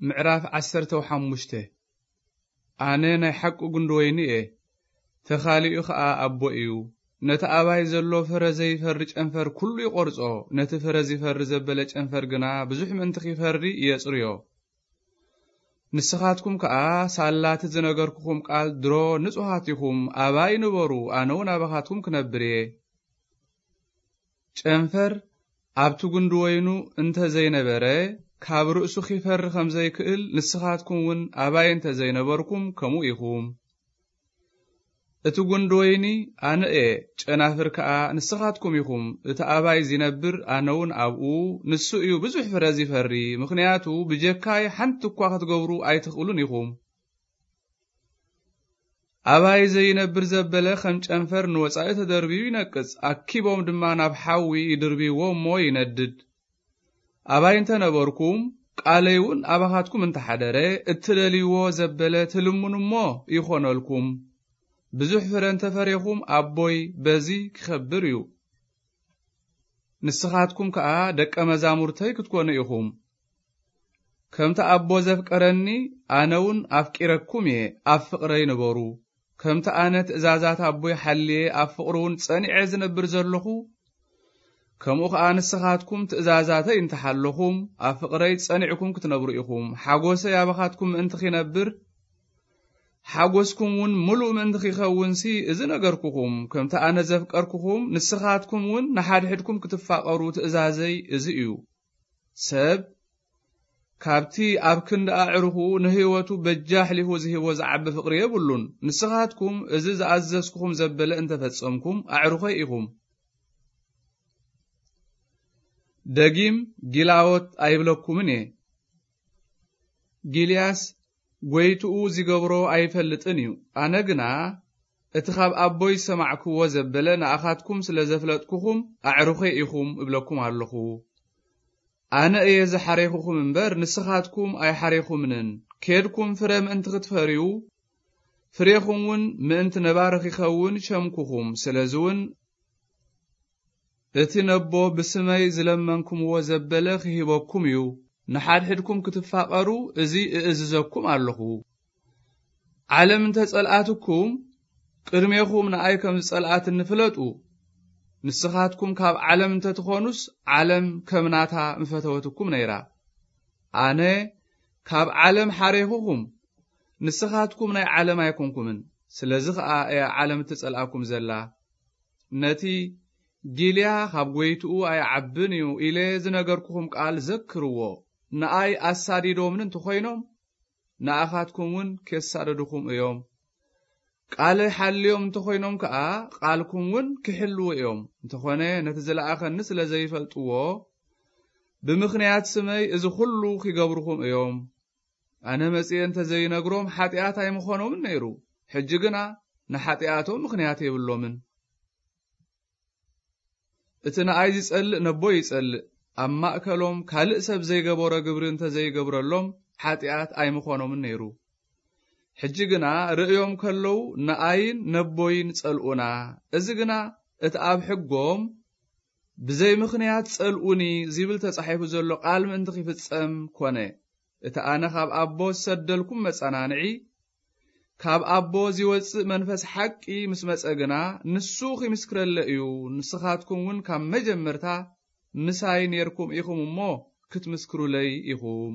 ምዕራፍ ዓሰርተ ሓሙሽተ። ኣነ ናይ ሓቂ ጉንዲ ወይኒ እየ፣ ተኻሊኡ ኸኣ ኣቦ እዩ። ነቲ ኣባይ ዘሎ ፍረ ዘይፈሪ ጨንፈር ኩሉ ይቖርጾ፣ ነቲ ፍረ ዚፈሪ ዘበለ ጨንፈር ግና ብዙሕ ምእንቲ ኺፈሪ የጽርዮ። ንስኻትኩም ከኣ ሳላቲ ዝነገርኩኹም ቃል ድሮ ንጹሃት ኢኹም፣ ኣባይ ንበሩ፣ ኣነ እውን ኣባኻትኩም ክነብር እየ። ጨንፈር ኣብቲ ጉንዲ ወይኑ እንተ ዘይነበረ፣ ካብ ርእሱ ኺፈሪ ኸም ዘይክእል፣ ንስኻትኩም እውን ኣባይ እንተ ዘይነበርኩም፣ ከምኡ ኢኹም። እቲ ጉንዲ ወይኒ ኣነ እየ፣ ጨናፍር ከኣ ንስኻትኩም ኢኹም። እቲ ኣባይ ዚነብር፣ ኣነ እውን ኣብኡ፣ ንሱ እዩ ብዙሕ ፍረ ዚፈሪ፣ ምኽንያቱ ብጀካይ ሓንቲ እኳ ኽትገብሩ ኣይትኽእሉን ኢኹም። ኣባይ ዘይነብር ዘበለ ኸም ጨንፈር ንወጻኢ ተደርብዩ ይነቅጽ፣ ኣኪቦም ድማ ናብ ሓዊ ይድርብይዎ እሞ ይነድድ። ኣባይ እንተ ነበርኩም፣ ቃለይ እውን ኣባኻትኩም እንተ ሓደረ፣ እትደልይዎ ዘበለ ትልምኑ እሞ ይኾነልኩም። ብዙሕ ፍረ እንተ ፈሬኹም፣ ኣቦይ በዚ ኪኸብር እዩ። ንስኻትኩም ከኣ ደቀ መዛሙርተይ ክትኮኑ ኢኹም። ከምቲ ኣቦ ዘፍቀረኒ፣ ኣነ እውን ኣፍቂረኩም እየ፣ ኣብ ፍቕረይ ንበሩ። ከምቲ ኣነ ትእዛዛት ኣቦይ ሓልየ ኣብ ፍቕሩ እውን ጸኒዐ ዝነብር ዘለኹ፣ ከምኡ ኸኣ ንስኻትኩም ትእዛዛተይ እንተ ሓለኹም፣ ኣብ ፍቕረይ ጸኒዕኩም ክትነብሩ ኢኹም። ሓጎሰይ ኣባኻትኩም ምእንቲ ኺነብር፣ ሓጎስኩም እውን ምሉእ ምእንቲ ኺኸውንሲ፣ እዚ ነገርኩኹም። ከምቲ ኣነ ዘፍቀርኩኹም፣ ንስኻትኩም እውን ንሓድሕድኩም ክትፋቐሩ ትእዛዘይ እዚ እዩ። ሰብ ካብቲ ኣብ ክንዲ ኣዕሩኹ ንህይወቱ በጃ ኣሕሊፉ ዝህቦ ዝዓቢ ፍቕሪ የብሉን። ንስኻትኩም እዚ ዝኣዘዝኩኹም ዘበለ እንተ ፈጸምኩም፣ ኣዕሩኸይ ኢኹም። ደጊም ጊላዎት ኣይብለኩምን እየ። ጊልያስ ጐይትኡ ዚገብሮ ኣይፈልጥን እዩ። ኣነ ግና እቲ ኻብ ኣቦይ ዝሰማዕክዎ ዘበለ ንኣኻትኩም ስለ ዘፍለጥኩኹም፣ ኣዕሩኸይ ኢኹም እብለኩም ኣለኹ። ኣነ እየ ዝሓሬኹኹም እምበር፣ ንስኻትኩም ኣይሓሬኹምንን። ኬድኩም ፍረ ምእንቲ ክትፈርዩ፣ ፍሬኹም እውን ምእንቲ ነባሪ ኺኸውን ሸምኩኹም። ስለዚ እውን እቲ ነቦ ብስመይ ዝለመንኩምዎ ዘበለ ኺህበኩም እዩ። ንሓድሕድኩም ክትፋቐሩ እዚ እእዝዘኩም ኣለኹ። ዓለም እንተ ጸልኣትኩም፣ ቅድሜኹም ንኣይ ከም ዝጸልኣትኒ ፍለጡ። ንስኻትኩም ካብ ዓለም እንተ ትኾኑስ፣ ዓለም ከም ናታ ምፈተወትኩም ነይራ። ኣነ ካብ ዓለም ሓሬኹኹም፣ ንስኻትኩም ናይ ዓለም ኣይኮንኩምን። ስለዚ ኸኣ እያ ዓለም እትጸልኣኩም ዘላ። ነቲ ጊልያ ኻብ ጐይትኡ ኣይዓብን እዩ ኢለ ዝነገርኩኹም ቃል ዘክርዎ። ንኣይ ኣሳዲዶምኒ እንተ ኾይኖም፣ ንኣኻትኩም እውን ኬሳድዱኹም እዮም። ቃለይ ሓልዮም እንተ ኾይኖም ከኣ፣ ቃልኩም እውን ኪሕልዉ እዮም። እንተኾነ፣ ነቲ ዝለኣኸኒ ስለ ዘይፈልጥዎ፣ ብምኽንያት ስመይ እዚ ኹሉ ኺገብሩኹም እዮም። ኣነ መጺኤ እንተ ዘይነግሮም፣ ሓጢኣት ኣይምኾኖምን ነይሩ። ሕጂ ግና ንሓጢኣቶም ምኽንያት የብሎምን። እቲ ንኣይ ዚጸልእ ነቦይ ይጸልእ። ኣብ ማእከሎም ካልእ ሰብ ዘይገበሮ ግብሪ እንተ ዘይገብረሎም፣ ሓጢኣት ኣይምኾኖምን ነይሩ። ሕጂ ግና ርእዮም ከለዉ፣ ንኣይን ነቦይን ጸልኡና። እዚ ግና እቲ ኣብ ሕጎም፣ "ብዘይ ምኽንያት ጸልኡኒ" ዚብል ተጻሒፉ ዘሎ ቃል ምእንቲ ኺፍጸም ኰነ። እቲ ኣነ ኻብ ኣቦ ዝሰደልኩም መጸናንዒ፣ ካብ ኣቦ ዚወጽእ መንፈስ ሓቂ ምስ መጸ ግና፣ ንሱ ኺምስክረለይ እዩ። ንስኻትኩም እውን ካብ መጀመርታ ምሳይ ኔርኩም ኢኹም እሞ፣ ክትምስክሩለይ ኢኹም።